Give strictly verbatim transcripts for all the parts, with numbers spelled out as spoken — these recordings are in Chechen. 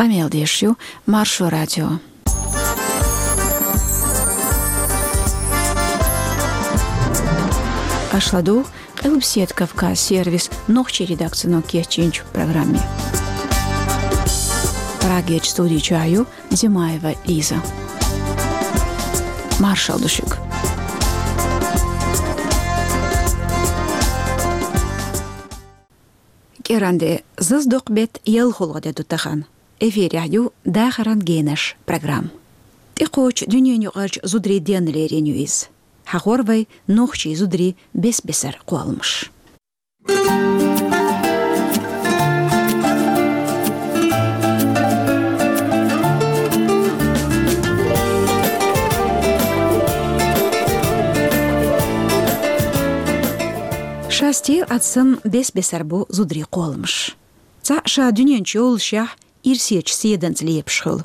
Къамел деш ю Маршо радио. Аша ладугӀу Къилбаседа Кавказ сервисан нохчийн редакцино кечйинчу программе. Прагерчу студи чохь ю Димаева Лиза. Маршалла ду шуьга. КӀиранде, зазадоккху беттан ялхолгӀа де ду тахана. Эфирехь ю «Дахаран генаш» программа. ТӀекхочу дуьненаюкъарчу зударийн денна лерина ю иза. Хьахор вай нохчийн зударийн бес-бесара кхолламаш. Ша стел а санна бес-бесара бу зударийн кхолламаш. Цхьаъ ша дуьнен чу йоллушехь, ирсечу седанца лепаш хуьлу.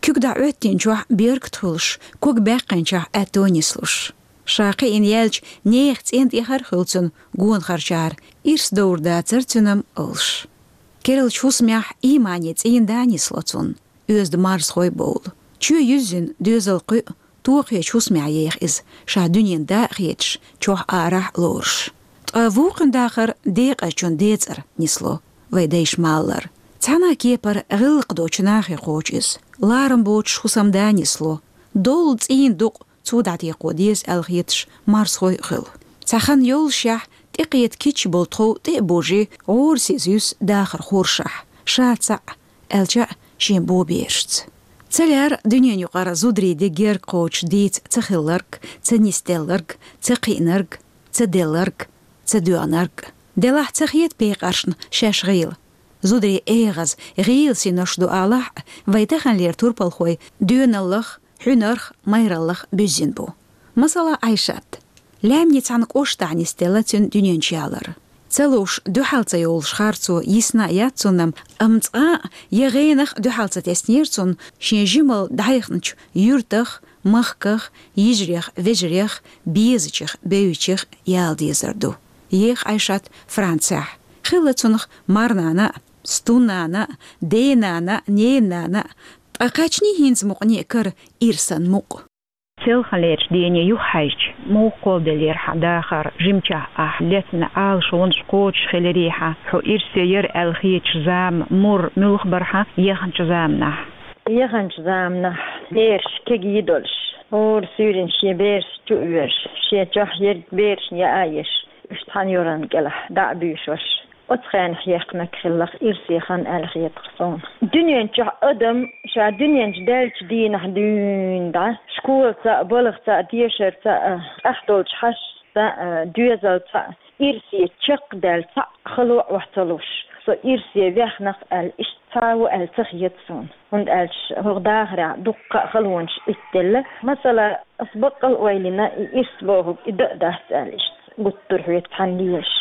Куьг дӀа Ӏоьттинчохь беркат хуьлуш, ког баьккхинчохь аьтто нислуш. Ша кхиъна яьлча, нехан цӀен тӀехьара хуьлу цунна гонахарчара, ирс довр дацара цуьнан олуш. Керлачу хӀусамехь иймане цӀийнда нисло цунна, оьзда марзхой бовлу. Чоь юьззина доьзал кхуьу, тохечу хӀусамехь еха иза, ша дуьненан да а хеташ, чохь арахь а лоруш. Ткъа вукхуьнан дахар декъазчун ден цӀера нисло, вай дайша ма-аллара. Цхьана а кепара гӀиллакх доцучу нахе кхочу иза. Ларам боцуш хӀусамда нисло. Доллу цӀийнан дукъ цо дӀатекхо деза аьлла хеташ марзхой а хуьлу. Цхьа хан йоллушехь, тӀекхета кийча болу тхов тӀе а божий, гӀорасиз юьсу дахаран хоршахь, ша цхьаъ, аьлча а шен боберашца. Ца лаьара дуьненаюкъара зударийн де герга кхочуш дийца ца хилларг, ца нисделларг, ца кхиънарг, ца делларг, ца доьгӀнарг. Делахь ца хета пекъаршна шаьш гӀийла. Зударийн эгӀаза, гӀийла синош ду алахь а, вай таханлера турпалхой доьналлах, хьуьнарх, майраллах буьззина бу. Масала, Ӏайшат. Лаьмнийн цхьана кӀоштахь нисделла цуьнан дуьнен чу ялар. Ца лууш, дуьхьал ца йолуш харцо йисна а яц цунна, амма цкъа а я гӀенах а дуьхьал ца теснера цунна шен жималла дӀаяхначу юьртах, махках, йижарех, вежарех, безачех, бевзачех яла дезар ду. Еха Ӏайшат Францехь. Хилла цунах марнана а, стуннана а, денана а, ненана а, ткъа кхаьчний хӀинца мукъане а кара ирсан мукъ. Селханлерчу дене юхахьаьжча, муха кхолладеллера хьан дахар, жимчохь ахь лецна Ӏалашонаш кхочуш хиларий хьан, хьо ирсе яра аьлла хеташ зама мур муьлха бара хьан яханчу заманахь? Яханчу заманахь, бераш кегий долуш, хӀора суьйранна шен бераш чу а воьжуш, шен чохь ерг берашна яа а еш, уьш цхьана юран кӀелахь дӀа а буьйшуш. Оцу хенахь яьккхинарг хиллакх ирсе хан аьлла хета-кх суна. Дуьнен чохь адам ша дуьнен чу даьллачу дийнахь дуьйна дӀа, школаца а, балхаца а, дешарца а, тӀаьхьа долчу хьаштаца а, доьзалца а ирсе чекхдаьлла цхьаъ хало а охьа ца луш, со ирсе ваьхна-кх аьлла, иштта цхьа а ву аьлла ца хета суна. ХӀунда аьлча хӀокху дахарехь дуккха а халонаш итделла. Масала, ас баккъал а ойла йина, и ирс бохург и дан а дац аьлла, иштта гуттар а хьоьца цхьаьна лелаш.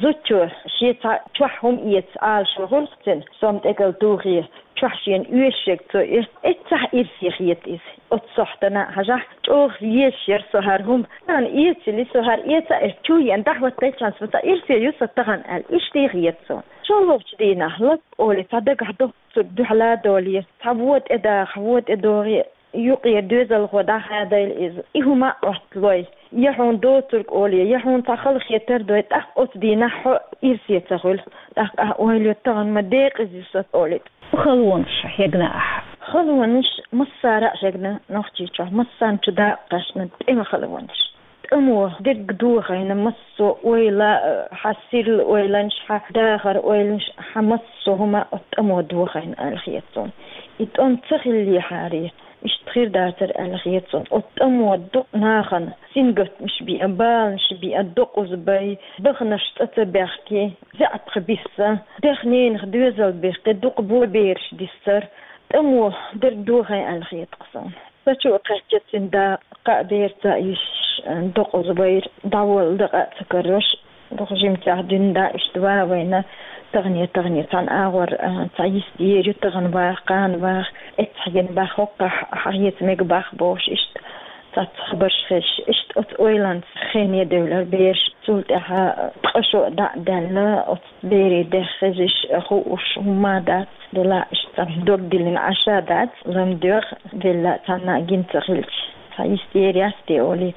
Зудчо шен цхьа чохь хӀума эца Ӏалашо хуьлу-кх цуьнан, сом тӀекӀал тухий, чохь шена оьшург цо эц-, эццахь ирсе хета иза. Оцу сохьтана а хьажахь, чӀогӀа езаш яра со хӀара хӀума. Сан эцале, со хӀара эца а эцна, чу а еана, дӀахӀоттайчхьана, со цхьа ирсе ю сан тахана аьлла, иштта хета суна. ШолгӀачу дийнахь, лап олий, цхьа дагахь доцург дуьхьал а долий, цхьа вон тӀе даха, вон тӀе догӀий, юкъера доьзалхо дӀахадайла иза, и хӀума а Ӏотталой, я хьуна доцург олий, я хьуна цхьа хала хетар дой, тӀаккха оцу дийнахь хьо ирсе ца хуьлу. ТӀаккха ахь ойла йо, тахана ма декъаза ю со олий. Халонаш хьегна ахь? Халонаш массара а хьегна Нохчийчохь, массарна чу дакъа кхаьчна тӀеман халонаш. ТӀамо дерг дохийна, массо а ойла, хьан сирла ойланаш, хьан дахар ойланаш, хьан массо а хӀума оцу тӀамо дохийна аьлла хета суна. И тӀом ца хиллехьара, иштта хир дацара аьлла хета суна. Оцу тӀамо дукха нахана сингаттамаш беа, баланаш беа, докъаза бай, даханарш цӀа ца баьхкий, заьӀапах бисса, дех-ненах доьзал бехкий, дукха бо бераш диссара, тӀамо дерг дохийна аьлла хета-кх суна. Со чу а кхаьчча, цуьнан да кхаа берца а йиш, докъаза байра, дӀаволла дакъа а ца карош, дукха жимчохь дуьйна да иштта ван а вайна, тахане-тахане цхьана агӀор, а, цхьа йист ер ю, тахана ваха, кхана ваха, эццахь гина баха, хӀоккхахь хьан хьеца мега баха бохуш, иштта цхьацца хабарш хезаш, иштта оцу ойланца хене девлар бераш, цул тӀаьхьа ткъа шо а дӀа а даьлла, оцу берийн дех хезаш, хууш хӀумма а дац, делахь иштта Цхьа дог диллина Ӏаш дац, лам доьгӀ, велла цхьанна гин ца хилча. Цхьа истерия сте оли,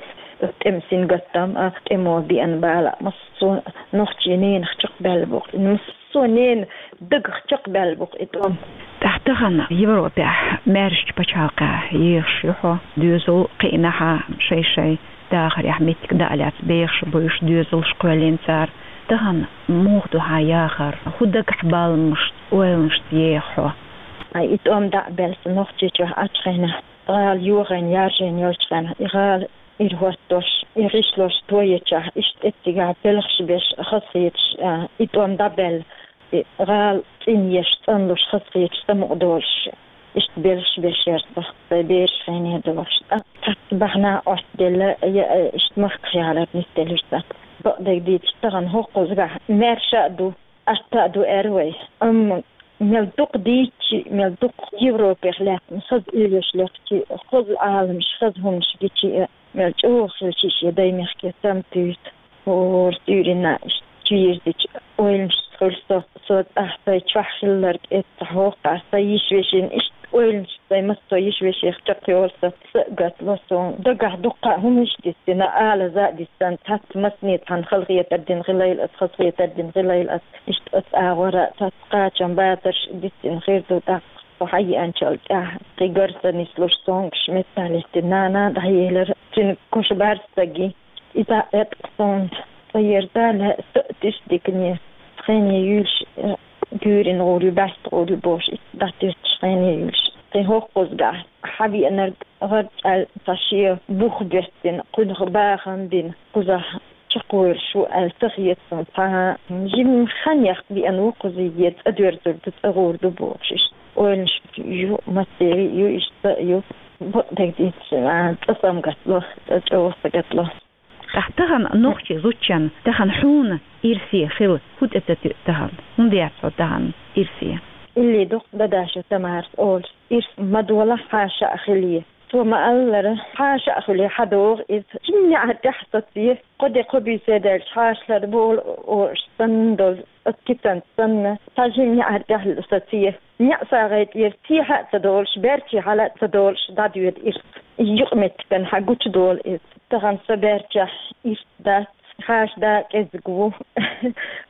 тӀем сингаттам, а, тӀемо биан бала, массо нохчи ненах чакхбаьлла бу-кх, массо нен дагах чакхбаьлла бу-кх и тӀом. ТӀаккха тахан Европехь маьршачу пачхьалкхехь ехаш ю хьо, доьзал кхиънахьа шай-шай дахарехь меттиг даа лаьцна бехаш буьйш доьзалш кхоьллина цара. Тахан муха ду хьан яхар, хӀун дагахь баламашца, ойланашца еха хьо? Ай, и тӀом дӀа а баьлла сан Нохчийчохь Ӏачу хенахь, гӀала йохийна, яржийна йолчу хенахь, и гӀала ирахӀоттош, и гӀишлош тоечохь, иштта эццигахь белхаш беш хазахеташ, а, и тӀом дӀабаьлла, и гӀала цӀинъеш, цӀанлуш хазахеташ самукъадолуш, иштта белхаш беш яра со, сайн бераш хене долуш. ТӀаккха цхьацца бахьана Ӏоттаделла, я, иштта махках ялар нисделира сан. Бакъдерг дийцича, тахана хӀокхузахь маьрша а ду, атта а ду аьлла вай. Амма мел дукха дийцича, мел дукха Европех лаьттина хаза уьйраш лехча, хаза Ӏаламаш, хаза хӀуманаш гича, мел чӀогӀа хилча шен даймехке саматуьйсу. ХӀора суьйранна иштта чу йирзича, ойланашца хуьлу со, со тӀаккха сайн чохь хилларг эццахь хӀокху, сайн йиш-вешин иштта ойланаш, сайн массо йиш-вешех чекхйолу со, са а гатло суна. Дагахь дуккха а хӀуманаш дисина, алаза а дисина, цхьацца массане цхьанна халахетар дина хилийла ас, хазахетар дина хилийла ас, иштта оцу агӀора цхьацца кхачам, бацарш дисина хир ду тӀаккха. Со хьаеанчул тӀаьхьа кхин гар ца нислуш, сонгаш меттахь лаьттина нана дӀаелира, цуьнан куша бӀаьрса стаге. Иза а эткъа суна, цӀа ерза а лаьа, со а тиша дикане, хене юьйлуш, э, гуьйрина гӀур ю, бӀаьста гӀур ю бохуш, иштта дӀатуьттуш хене юьйлуш. Кхин хӀокхузахь хьан веанарг гӀарчӀаьлла цхьа шен бух боьттина, кхунах бахам бина, кхузахь чекхвоьлуш ву аьлла ца хета суна цхьа а. Жимма хан яккха веана ву кхузахь, цӀа доьрзур ду, цӀа гӀур ду бохуш иштта. Ойланаш ю, массеран а ю, иштта а ю. Бакъдерг дийцича, а, цӀа самагатло, цӀа чӀогӀа сагатло. ТӀаккха тахана нохчийн зудчун, тахана хьуна ирсе хила хӀун тӀе ца туьу тахана? ХӀунда яц хьо тахана ирсе? Илли дукха дадашо Тамарас олуш, ирс ма долахь хьаша а хилий. Цо ма-аллара, хьаша а хуьлий хьадогӀу иза. Жимма неӀар тӀехь саций, кхо де кхо буьйса даьлча хьаша ларболу олуш санна долу, оцу кисанца санна, цхьа жимма неӀар тӀехь саций. НеӀсагӀай тӀера сехьа а ца долуш, баьрчий хьала а ца долуш, дӀадоьду ирс. Юкъаметтиган хьан гучудолу иза. Тахана сан баьрчехь ирс дац, хьаша да кӀезиг ву.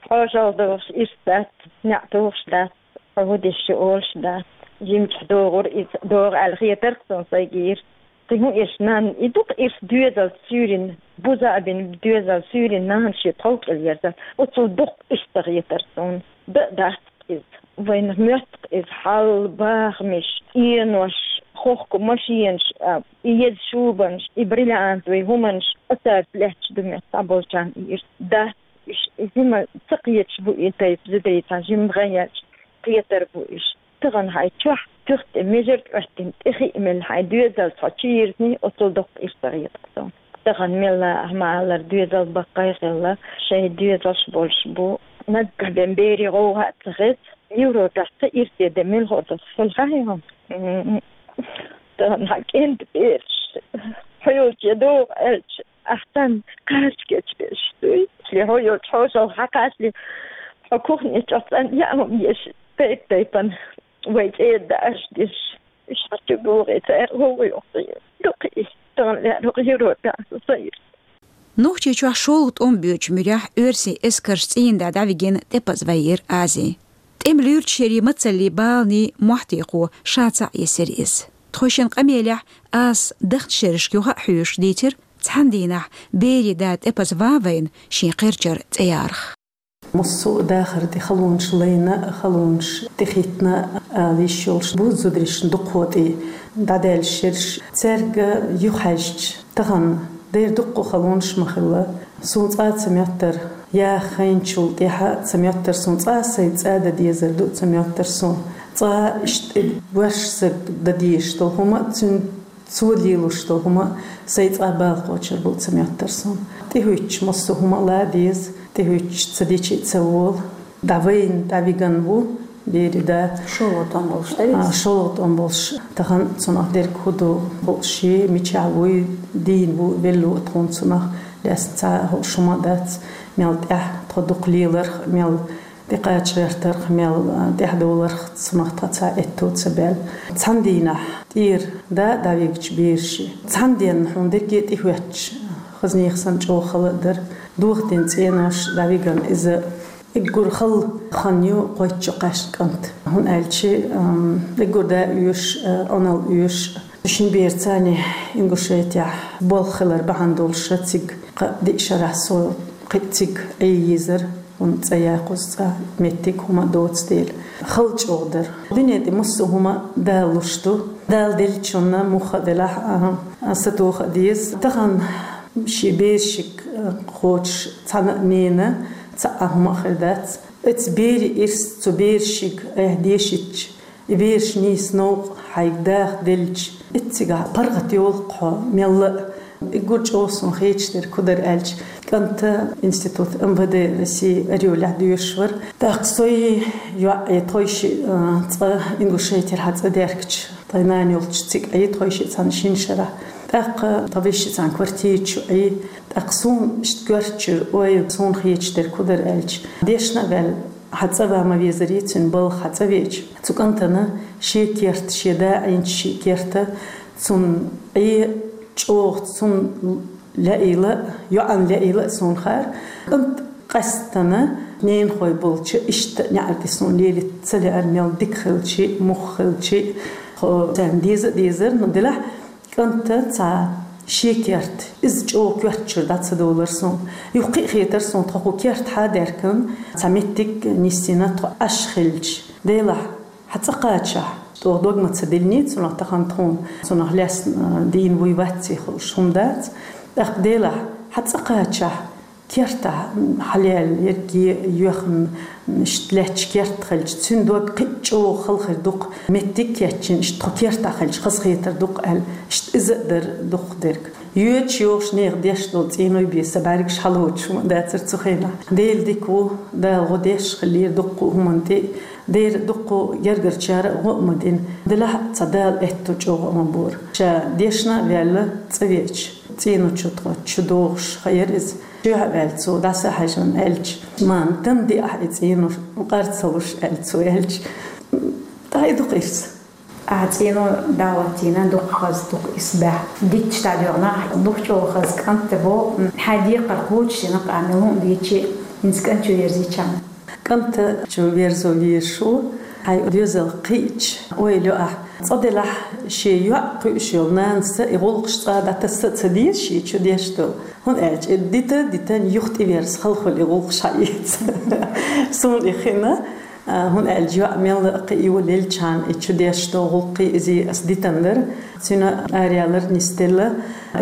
ХьошалгӀа догӀуш ирс дац, неӀ тухуш дац. Хьо хӀун деш ю олуш дац. Жимчохь догӀура иза, догӀу аьлла хетара суна сайгара. Кхин хӀун эш, нанна, и дукха ирс доьзалца суьйрина, буза а бина доьзалца суьйрина нана шен тхов кӀел ерза. Оцул дукха ирс ца хетара суна. Дан а дац иза. Вайна моьтту иза хьал, бахамаш, энош, хохку машенаш, а, и еза шубанаш, и бриллиантовый хӀуманаш, оцаьрца лаьтташ ду моьтту цхьаболчарна и ирс. Дац уьш, и жима ца кхеташ бу и тайпа зударий, цхьа жима гӀан яьлча кхетар бу уьш. Тахана хьайн чохь туьха тӀе межарг Ӏоьттина, тӀе хиъ мелла хьайн доьзалца хьо чу йирзиний, оцул доккха ирс ца хета суна. Тахана мелла а ма-аллара доьзал баккхий а хилла, шайн доьзалш болуш бу. Наггахь бен берийн гӀовгӀа а ца хеза, Европехь цхьа ирсе де мила хӀо ду хила хьан хьо? Тахана хьан кӀентан бераш хьо йолче догӀу аьлча, ахь царна кхача кечбеш дуй. Шли хьо йолчу хьошалгӀа хьан кхачале, хьо кухне чохь цӀанъяа хӀума еш, тайп-тайпана вай цӀера даарш деш. Уьш хьан чу богӀий цара гӀовгӀа йохкий. Дукха и тахана лаьара хӀокху Европехь сан ирс. Нохчийчохь шолгӀа тӀом боьдучу муьрехь оьрсийн эскарш цӀийнда дӀавигина тӀепаза вайира Ази. ТӀеман луьрачу шерийн мацаллий, баланийн мохь тӀехь ша цхьаъ йисира иза. Тхойшинна къамелехь Азас дахначу шерашка юха а хьоьжуш дийцира цхьана дийнахь берийн да тӀепаза ван вайна шен кхерчара цӀе ярах. Массо а дахар тӀе халонаш лайна а, халонаш тӀехӀиттина а ала йиш йолуш бу зударшна дукхахьо тӀе дӀадаьлла шераш. Цаьрга юхахьаьжча, тахана дера дуккха а халонаш ма хилла. Суна цкъа а ца моьттура, яха хайначул тӀаьхьа а ца моьттура суна, цкъа а сайн цӀа дан дезар ду а ца моьттура суна. Цкъа а иштта ваьш стаг дан дезаш долу хӀума а, цуьнан цо лелош долу хӀума а сайн цкъа а бала кхочур бу а ца моьттура суна. ТӀехӀуьттуш массо а хӀума а ла деза, тӀехӀуьттуш ца дича а ца волу. ДӀавайна, дӀавигна ву берийн да. ШолгӀа тӀом болуш, да, виц? А, шолгӀа тӀом болуш. Тахана цунах дерг хӀун ду, хууш, мичахь вуй, дийна ву, велла ву тхуна цунах. Лаьцна цхьа а хууш хӀума а дац, мел тӀаьхьа тхо дукха леларх, мел тӀекхача гӀертарх, мел тӀехьдовларх цунах тха цхьа аьттув ца баьлла. Цхьан дийнахь тӀера да дӀавигача бераши, цхьан денна хьуна дерриге тӀехӀоьттача хазанех санна чӀогӀа хала а дар. Дохаденна цӀенош дӀавигна иза. Эггара хала хан ю кхойтта шо кхаьчача кӀанта. ХӀунда аьлча, ам, эггара да оьшуш, а, Ӏуналла оьшуш. Шин бераца Ингушетехь болх хилар бахьана долуш цига кхаа-диъ шарахь со кхин а цига Ӏе езар, хӀунда цӀа яккхуш, цӀа меттиг, хӀума доцу дела. Хала чӀогӀа дара. Дуьне тӀе массо а хӀума Дала луш ду. Дала деллачунна муха а делахь, а, а, сатоха а деза. Тахана шен берашка, а, кхочуш цхьана а ненан цхьа а хӀума а хир дац. Оцу берийн ирс цу берашка айхьа дешийтча, и бераш нийса новкъа хьайга даха делча, эццигахь паргӀат йолу-кх хьо мелла а. Эггара чӀогӀа суна хеташ дерг хӀун дара аьлча, кӀанта институт МВД России Орёлехь доьшуш вара. ТӀаккха со и йоӀ Ӏе, тхойшиъ, а, цкъа Ингушетера хьа цӀа даьхкича, тхайн нана йолчу цига Ӏе, тхойшиъ цхьана шина шарахь. ТӀаккха тхан вешица квартира чу Ӏе. ТӀаккха суна иштта коьртачуьра, ой, суна хеташ дерг хӀун дара аьлча, дешна а ваьлла, хьа цӀа ван ма везарий, цуьнан балха хьа цӀа веача, цу кӀантана шен керта, шен да Ӏийначу шиъ керта, цунна Ӏе чӀогӀа, цунна лаийла а, йоӀана лаийла а суна хаьара. КӀант къаьстина ненахой болчу иштта неӀар тӀе суна лелийта ца лаьара, мел дика хилча а, муха хилча а, хьо царна деза а дезара, ну, делахь, кӀанта цхьа шен керта, иза чӀогӀа коьртачуьра дӀа ца довлара суна. Юха кхин а хетара суна, тхо хӀу керта хьа даьхкина, цхьа меттиг нисйина тхо Ӏаш хилча. Делахь, хьа цӀа кхачахь, чӀогӀа дог ма ца диллиний цунах, тахана тхуна цунах лаьцна дийна вуй вацций хууш хӀума дац. ТӀаккха делахь, хьа цӀа кхачахь, кертахь хьалаьлла, ерриге йоьхна, иштта лаьтташ керта хилча, цуьнан дог кхин а чӀогӀа хала хир ду-кх, меттиг кечйина, иштта тхо кертахь хилча, хазахетар ду-кх аьлла, иштта иза а дара дукхахдерг. Йоьдуш йогӀуш нехан деш долу цӀеной бен сан бӀаьргаш хьалоцуш хӀума а дацара цу хенахь. Дела дика ву, Дала гӀо деш хиллера дуккха а хӀуманна тӀе а, дера дуккха а гергарчара а гӀо а ма дина. Делахь а цхьа Дала аьтту чӀогӀа а ма бора. Ша дешна а ваьлла, цӀа веача, цӀено чу тхо чу догӀуш хаьара иза. Чоьхьа а ваьлла цо, дӀаса а хьаьжна, аьлча: «Мама, тан диахь и цӀено, къар ца луш», аьлла цо аьлча. ТӀаккха и ду-кх ирс. Ахьа цӀено дӀа а латтийна, дукха хаза, дукха ирс баьхьа. Дитташ дӀадоьгӀна, дукха чӀогӀа хаза кӀант а бо, хьайн декхар кхочушдина-кх ахь, мел хӀума дийцича а, хӀинца кӀант чу верзийча хьуна. КӀант чу верзо везаш ву, хьайн доьзал кхиъча, ойла йо ахь. Цкъа делахь, шен йоӀ кхуьуш йолу нанас и гӀуллакхаш цкъа дӀатасса а ца деза шен чу деш долу. ХӀунда аьлча и дита, дитан юха тӀеверза хала хуьлу и гӀуллакхаш хьаэца. Суна и хиъна, а, хӀунда аьлча йоӀ мелла а кхио лелчхьана и чу деш долу гӀуллакхий изий ас дитина дара. Цуьнан араяьллар нисделла.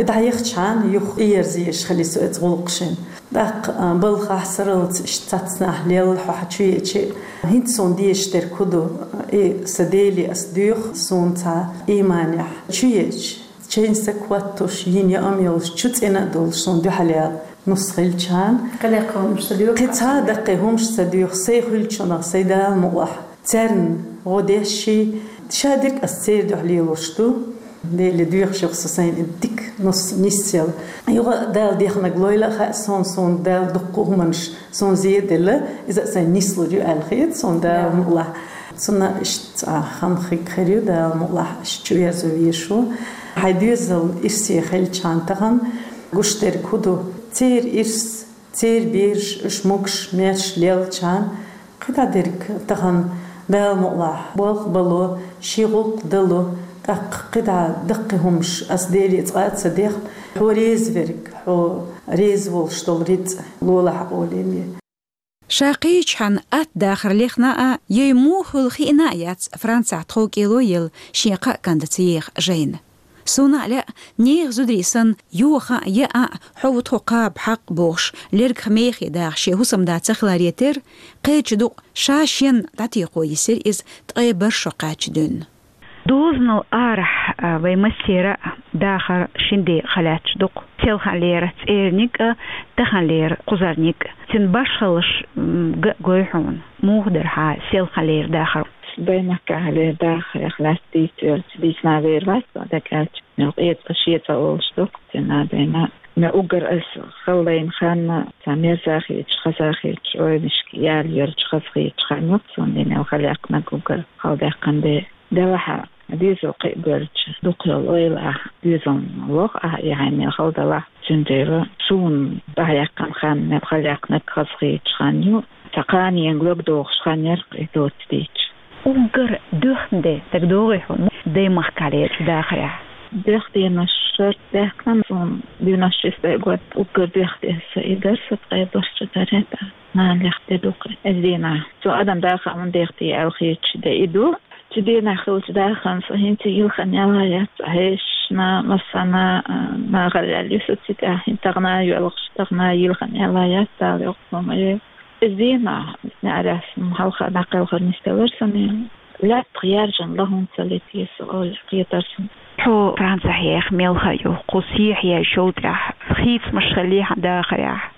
И дӀаяхчхьана юха тӀеерза езаш хили со оцу гӀуллакхашна. ТӀаккха, а, балхахь сарралц иштта цхьацнахь лелла хьо хьа чу еача, хӀинца суна дезаш дерг хӀун ду, и сан Деле ас доьху, суна цхьа ийманехь чу еача, чайн са кхоттуш, йина яа а йолуш, чу цӀена а долуш, суна дуьхьал яла нус хилчхьана. Кхин даккхий хӀумаш ца доьху? Кхин цхьа даккхий хӀумаш ца доьху, сайн хуьлучунах, сайн Дала мукъалахь. Царна гӀо деш ший, ша дерг ас церан дуьхьа лелош ду. Деле доьхуш ю-кх со сайна и дика нус нисъяла. Юха а Дала дехнарг лойла а хаьа суна, суна Дала дуккха а хӀуманаш суна зеделла, иза а сайна нислур ю аьлла хета суна, Дала мукъалахь. Цунна иштта цхьа хан хиг хир ю, Дала мукъалахь, иштта чу верзо везаш ву. Хьайн доьзал ирсе хилчхьана тахана гуш дерг хӀун ду? Церан ирс, церан бераш, уьш могуш, маьрша лелчхьана, кхидӀа дерг тахана, Дала мукъалахь, болх бало, шен гӀуллакх дало, тӀаккха кхидӀа даккхий хӀумаш ас Деле цкъа а ца дехна, хьо реза верг, хьо реза волуш долу рицкъ лолахь, олий. Ша кхечхьана атта дахар лехна а, йай муха хуьлу хиъна а яц Францехь тховкӀело елла шен кхаа кӀантаца еха жайна. Суна а лаьа, нехан зударий санна, йоха а, яа а, хьо ву тхо кхаба хьакъ бохуш, лергах мехе даха шен хӀусамда ца хиларе терра, кхечу дукъ ша шен дӀатекхо йисира иза ткъе бархӀ шо кхаьчча дуьйна. Дозанал арахь, а, вай массеран а дахар шина декъа хилаьтташ ду-кх. Селханлера цӀерниг а, таханлера кхузарниг а. Цуьнан башхаллаш, м, ган а гой хьуна. Муха дара хьан селханлера дахар? Баймаккахьлера дахарх лаьцна дийцавелча, дийцина вер вац со, дагахь аьлча. Мел къецӀа, шецӀа олуш ду-кх цуьнан а, бена. Ме уггар ас хала дайна хан, цхьа мерза хеташ, хаза хеташ, ойнашка ял йолча хаза хеташ хан йоах сона, дийна хала яьккхинарг уггар хала даьккхина де. Делахь а, дезал кхиабелча, дукха йола ойла ахь, дезал лох ахь, и хьайна мел хала далахь, цундела суна дӀаяьккхина хан, мел хала яьккхинарг хаза хеташ хан ю. Цхьа кханенга лаг дохуш хан яр-кх и доцца дийцча. Уггар доьхна де дагадогӀий хьуна даймахкахь лелачу дахарехь? Доьхна денош шарт даьккхина суна, девяносто шестой год, уггар доьхна де аса и дар, со ткъе долчу даре тӀа. Нана лехна де ду-кх иза дийнахь. Цо адам дахар хӀунда дехкий аьлла хеташ де и ду. Цу дийнахь хилча дахарна со хӀинца йилхина яла яц, хьешашна, массарна, а, нахала яьлла ю со цу тӀехь, хӀинца тахана йоьлхуш, тахана йилхина яла яц, Дала йоккха хӀума йойла. Иза дийнахь, неӀарехь сан хьалха дӀакхелхар нисделира суна. Лаьттах яьржина ла хӀунда ца летий со, олий кхетара суна. Хьо Францехь еха мелхо ю, кху сехьа еш йолу тӀехь хийцамаш хиллий хьан дахарехь?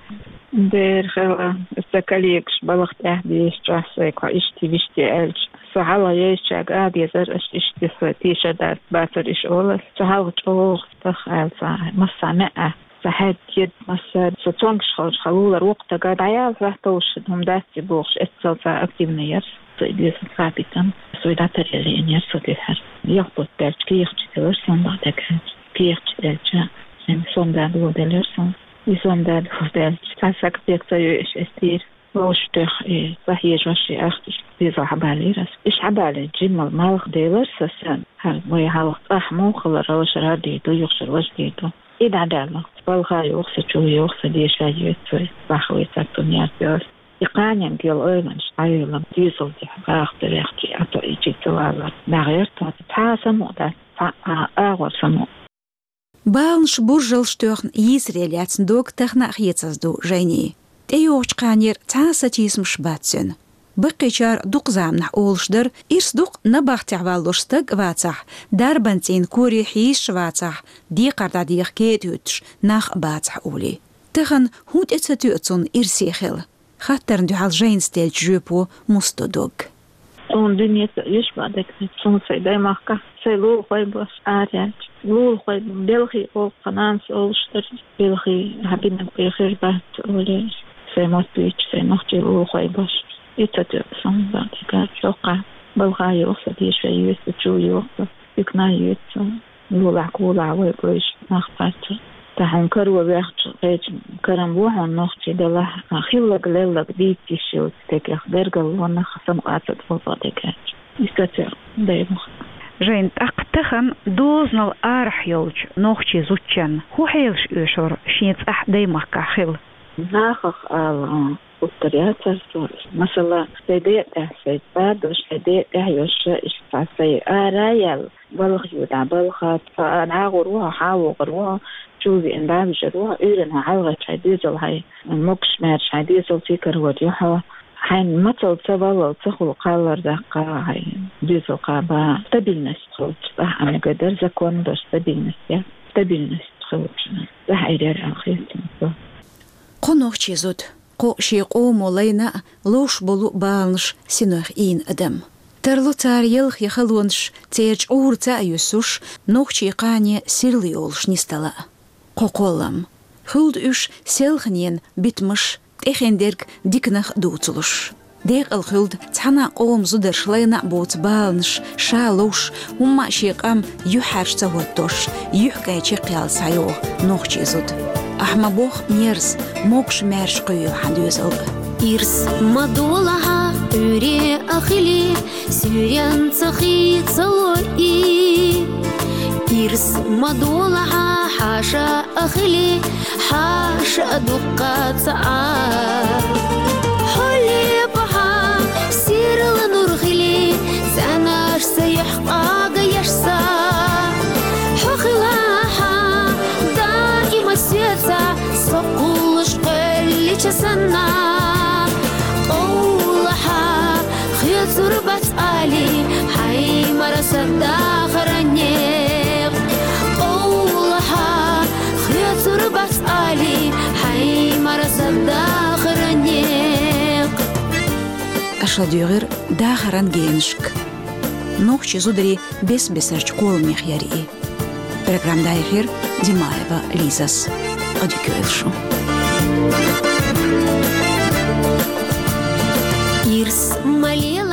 Дера хила, сан коллегаш балха тӀехь дезачохь сайга хьо ишттий-вуьштий аьлча, со хьалха езачаьрга а дезара, аша иштта со тешар дац, бацара иша олалла. Со хьалха чӀогӀа стах аьлла, сан массо а меа, сан хьаьдда, кед, массо а, со цомгуш хилча, хьан лулара воккха стага дӀаяла хьоьттуш хӀума дац и бохуш, эццал сан активна яра. Со и деза цхьа а питана, со и дӀатаръяла лиъна яра со дуьххьара. Ялх бутт даьлча кехаташ делира суна, бакъдерг аьлча. Кехаташ делча, шен сом да дӀадолделира суна. И сом да дӀадолделча, цхьа саг пек ца йоьуш эцнера. Вовшах тоьхна и ца хьежош и ахча, иштта дезал хьабалийра ас. Иштта хьабалийча, жимма малх делира сан, сан, хьан вай хьалха цӀахь муха хилар, ваша радий ду, юха шуьра ваша дий ду. И дӀадаьлла, балха йоху со, чу йоху со, деша йоьцу вай, баха вай цхьацца ярташ. И кханенга йолу ойланаш дӀайолам, дезал тӀехь баха ца вехча, а то и чу ца валар. ДӀагӀерта цхьа а самукъа дац, цхьа а агӀор самукъа. Баланаш, буржалш тоьхна йийсаре лаьцна дог тахана а хецаза ду Жайнин. ТӀейогӀучу кханера цхьа а сатийсамаш бац цуьнан. Баккхийчара дукха заманахь олуш дара, ирс ду-кх набахтехь валлалуш стаг а вацахь, дарбан цӀийнан коре хьийзаш а вацахь, декхар дӀадеха кетӀа хӀуьттуш нах а бацахь олий. Тахана хӀун тӀе ца тоьа цунна ирсе хила? Хаттарна дуьхьал Жайнас деллачу жоьпо муста до дог. Суна дуьне ца оьшу, бакъдерг аьлча, суна сайн даймахкахь сайн лулахой бу аса араяьлча. Лулахой бу, белхий олу-кх нанас олуш дара. Белхий хьан бинарг бен хир бац олий, сайн мотт буьйцуш, сайн нохчий лулахой бу аса. И ца тоьа суна, бакъдерг аьлча, хӀокхахь балха йоху со, деша йоьцу, чу йоху со, дикана йоьцу. Лулахь-кулахь вай гойш нах бац. Тахана каро ваьхча, кхечу карам бу хьуна нохчий, делахь а хилларг-лелларг дийца йиш йолчу стагех, бергалло нах самукъа ца тхо, бакъдерг аьлча. Иштта церан даймахка. Жайна, тӀаккха тахана дозанал арахь йолчу нохчийн зудчунна хӀун хьелаш оьшура шен цӀахь даймахкахь хила? Нахах ала, а, гуттар яцара со. Масала, сайн ден тӀехь сайн цӀа а долуш, сайн ден тӀехь йолуш, иштта цхьа сайн ара а яьлла, балха ю дӀа, балха, цхьа а дӀагӀур ву хьо, хьан а вогӀур ву хьо, чу веана дӀа а вижар ву хьо, уьйрана хьан хьалхарчу хьайн доьзал, хьайн могуш-маьрша хьайн доьзал ца карор ю хьо, хьайн мацалла ца валлал ца хула кхаллар даккха, хьайн доьзал кхаба. Стабильность хилча, цӀахь а мегар дара, закон долуш стабильность яц, стабильность хилча, цӀахь Ӏийр яра аьлла хета суна. Кхо нохчийн зуда, кхо шен къомо лайна а ловш болу баланаш синойх ийна адам. Тарло цара ялх я халонаш, церан чӀура цхьаъ юьссуш, нохчийн кхане сирла йолуш нисдала. Кхо кхоллам. Хуьлда уьш селханенан битамаш, тӀехиндерг диканах дувцалуш. Декъала хуьлда цхьана а къоман зударша лайна а боцу баланаш, ша ловш, хӀумма а шен къам юьхьӀаьржа ца хӀоттош, юьхькӀайн чекхъяла схьайогӀу нохчийн зуда. Ахьа ма бохху мерза, могуш-маьрша кхуьййо хьан доьзал а. Ирс ма долахьа, Ӏуьйре а хили, суьйренца хи ца лойи. Ирс ма долахьа, хьаша а хили, хьаша а дуккха ца Ӏа. Хьо лепахьа, сирла нур хили, цӀенаш ца юьхь къага еш са. Хьо хилахьа, даима соьца, со кхуллуш кхоьллича санна. Къовлахьа, хецур бац али, хьайн марса дахаран некъ. Къовлахьа, хецур бац али, хьайн марса дахаран некъ. Аша дуьйгӀира дахаран генашка. Нохчийн зударий бес-бесарчу къоламех яра и. Программа дӀаяьхьира Димаева Лизас. адик эз шув. Ирс ма ле